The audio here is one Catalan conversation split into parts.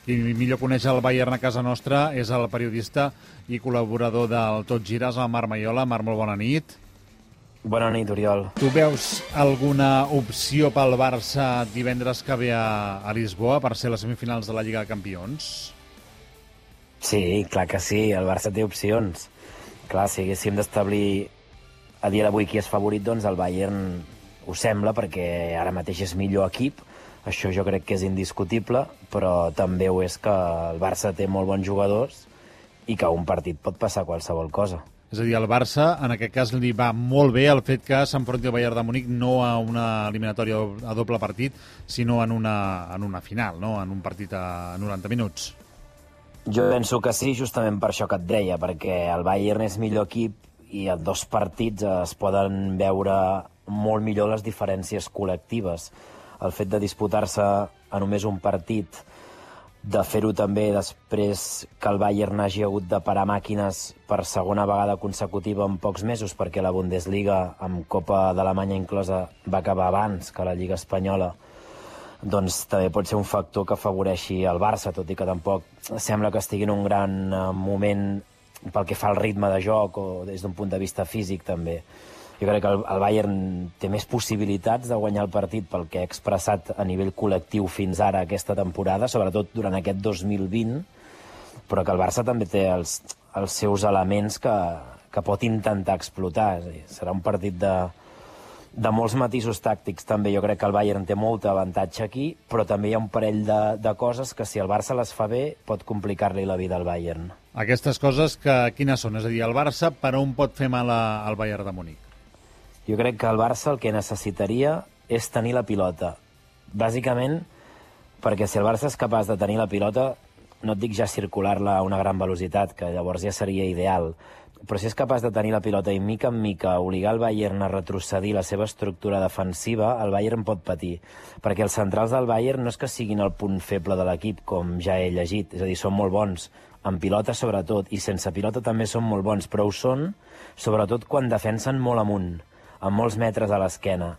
Qui millor coneix el Bayern a casa nostra és el periodista i col·laborador del Tot Gires, el Marc Maiola. Marc, molt bona nit. Bona nit, Oriol. Tu veus alguna opció pel Barça divendres que ve a Lisboa per ser les semifinals de la Lliga de Campions? Sí, clar que sí, el Barça té opcions. Clar, si haguéssim d'establir a dia d'avui qui és favorit, doncs el Bayern ho sembla, perquè ara mateix és millor equip. Això jo crec que és indiscutible, però també ho és que el Barça té molt bons jugadors i que a un partit pot passar qualsevol cosa. És a dir, al Barça, en aquest cas, li va molt bé el fet que s'enfronti el Bayern de Munic no a una eliminatòria a doble partit, sinó en una final, no? En un partit a 90 minuts. Jo penso que sí, justament per això que et deia, perquè el Bayern és millor equip i en 2 partits es poden veure molt millor les diferències col·lectives. El fet de disputar-se a només un partit, de fer-ho també després que el Bayern hagi hagut de parar màquines per segona vegada consecutiva en pocs mesos, perquè la Bundesliga, amb Copa d'Alemanya inclosa, va acabar abans que la Lliga Espanyola, doncs també pot ser un factor que afavoreixi el Barça, tot i que tampoc sembla que estigui en un gran moment pel que fa al ritme de joc o des d'un punt de vista físic també. Jo crec que el Bayern té més possibilitats de guanyar el partit pel que ha expressat a nivell col·lectiu fins ara aquesta temporada, sobretot durant aquest 2020, però que el Barça també té els seus elements que pot intentar explotar. És a dir, serà un partit de molts matisos tàctics també. Jo crec que el Bayern té molt avantatge aquí, però també hi ha un parell de coses que si el Barça les fa bé pot complicar-li la vida al Bayern. Aquestes coses, quines són? És a dir, el Barça per on pot fer mal al Bayern de Munic? Jo crec que el Barça el que necessitaria és tenir la pilota. Bàsicament, perquè si el Barça és capaç de tenir la pilota, no et dic ja circular-la a una gran velocitat, que llavors ja seria ideal, però si és capaç de tenir la pilota i mica en mica obligar el Bayern a retrocedir la seva estructura defensiva, el Bayern pot patir. Perquè els centrals del Bayern no és que siguin el punt feble de l'equip, com ja he llegit, és a dir, són molt bons, amb pilota sobretot, i sense pilota també són molt bons, però ho són sobretot quan defensen molt amunt, amb molts metres a l'esquena,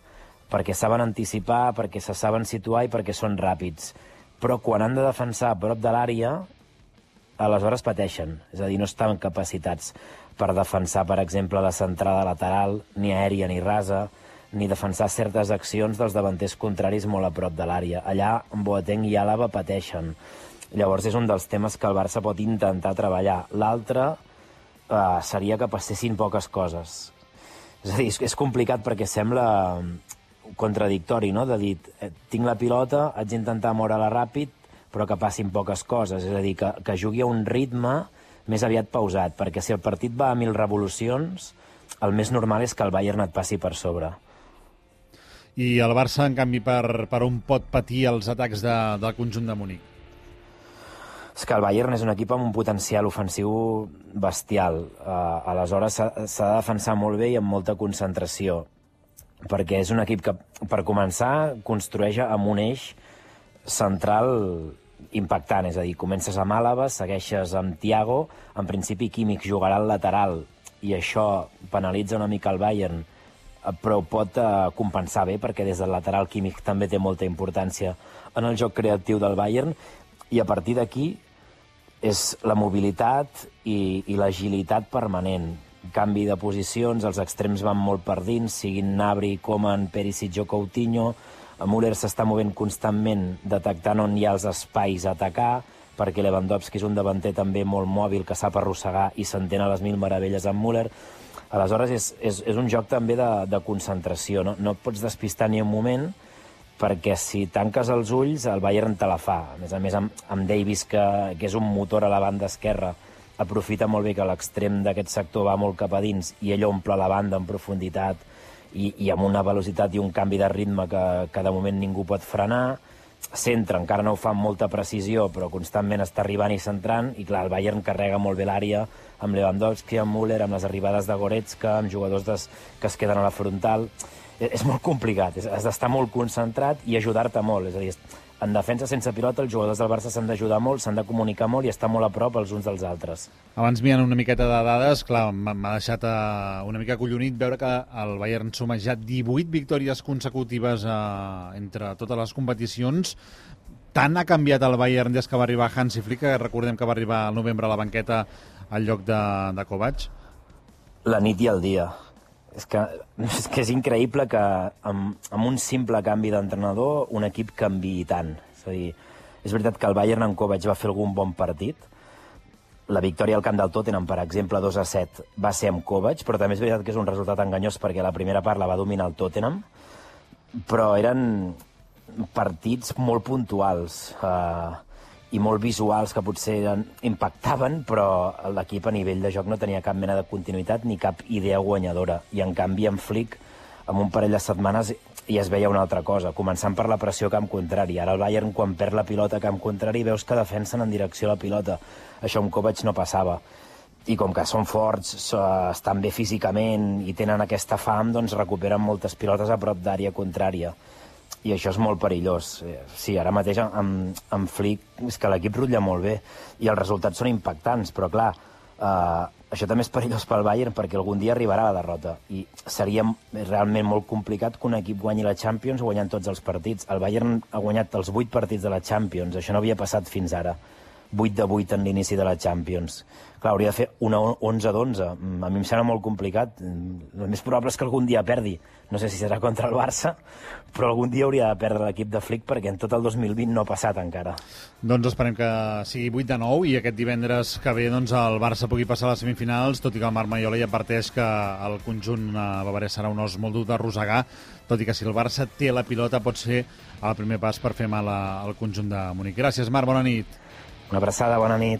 perquè saben anticipar, perquè se saben situar i perquè són ràpids. Però quan han de defensar a prop de l'àrea, aleshores pateixen. És a dir, no estan capacitats per defensar, per exemple, la centrada lateral, ni aèria ni rasa, ni defensar certes accions dels davanters contraris molt a prop de l'àrea. Allà, Boateng i Àlaba pateixen. Llavors és un dels temes que el Barça pot intentar treballar. L'altre seria que passessin poques coses. És a dir, és complicat perquè sembla contradictori, no?, de dir, tinc la pilota, haig d'intentar moure-la ràpid, però que passin poques coses. És a dir, que jugui a un ritme més aviat pausat, perquè si el partit va a 1000 revolucions, el més normal és que el Bayern et passi per sobre. I el Barça, en canvi, per on pot patir els atacs del conjunt de Munic? És que el Bayern és un equip amb un potencial ofensiu bestial. Aleshores s'ha de defensar molt bé i amb molta concentració, perquè és un equip que, per començar, construeix amb un eix central impactant. És a dir, comences amb Àlaba, segueixes amb Thiago, en principi Kimmich jugarà al lateral, i això penalitza una mica el Bayern, però pot compensar bé, perquè des del lateral Kimmich també té molta importància en el joc creatiu del Bayern, i a partir d'aquí és la mobilitat i l'agilitat permanent. Canvi de posicions, els extrems van molt per dins, siguin Gnabry, Coman, Perisic o Coutinho. Müller s'està movent constantment, detectant on hi ha els espais a atacar, perquè Lewandowski és un davanter també molt mòbil, que sap arrossegar i s'entén a les mil meravelles amb Müller. Aleshores és un joc també de concentració, no? No et pots despistar ni un moment, perquè si tanques els ulls el Bayern te la fa. A més amb Davis, que és un motor a la banda esquerra, aprofita molt bé que l'extrem d'aquest sector va molt cap a dins i ell omple la banda en profunditat i amb una velocitat i un canvi de ritme que de moment ningú pot frenar. Centra, encara no ho fa amb molta precisió, però constantment està arribant i centrant, i clar, el Bayern carrega molt bé l'àrea amb Lewandowski, amb Müller, amb les arribades de Goretzka, amb jugadors que es queden a la frontal. És molt complicat, has d'estar molt concentrat i ajudar-te molt. És a dir, en defensa sense pilota els jugadors del Barça s'han d'ajudar molt, s'han de comunicar molt i estar molt a prop els uns dels altres. Abans mirant una miqueta de dades, clar, m'ha deixat una mica acollonit veure que el Bayern suma ja 18 victòries consecutives entre totes les competicions. Tant ha canviat el Bayern des que va arribar Hansi Flick, que recordem que va arribar al novembre a la banqueta al lloc de Kovac? La nit i el dia. És que és increïble que amb un simple canvi d'entrenador un equip canviï tant. És a dir, és veritat que el Bayern en Kovac va fer algun bon partit. La victòria al camp del Tottenham, per exemple, 2-7, va ser amb Kovac, però també és veritat que és un resultat enganyós perquè la primera part la va dominar el Tottenham, però eren partits molt puntuals i molt visuals que potser impactaven, però l'equip a nivell de joc no tenia cap mena de continuïtat ni cap idea guanyadora. I en canvi en Flick, amb un parell de setmanes, ja es veia una altra cosa, començant per la pressió a camp contrari. Ara el Bayern, quan perd la pilota a camp contrari, veus que defensen en direcció a la pilota. Això amb Kovac no passava. I com que són forts, estan bé físicament i tenen aquesta fam, doncs recuperen moltes pilotes a prop d'àrea contrària. I això és molt perillós. Sí, ara mateix amb Flick és que l'equip rutlla molt bé i els resultats són impactants, però clar, això també és perillós pel Bayern perquè algun dia arribarà la derrota i seria realment molt complicat que un equip guanyi la Champions guanyant tots els partits. El Bayern ha guanyat els 8 partits de la Champions, això no havia passat fins ara. 8-8 en l'inici de la Champions. Clar, hauria de fer una 11-11. A mi em sembla molt complicat. El més probable és que algun dia perdi. No sé si serà contra el Barça, però algun dia hauria de perdre l'equip de Flick perquè en tot el 2020 no ha passat encara. Doncs esperem que sigui 8-9 i aquest divendres que ve doncs, el Barça pugui passar a les semifinals, tot i que el Marc Maiola ja adverteix que el conjunt bavarès serà un os molt dur d'arrossegar, tot i que si el Barça té la pilota pot ser el primer pas per fer mal al conjunt de Munic. Gràcies, Marc, bona nit. Una abraçada, bona nit.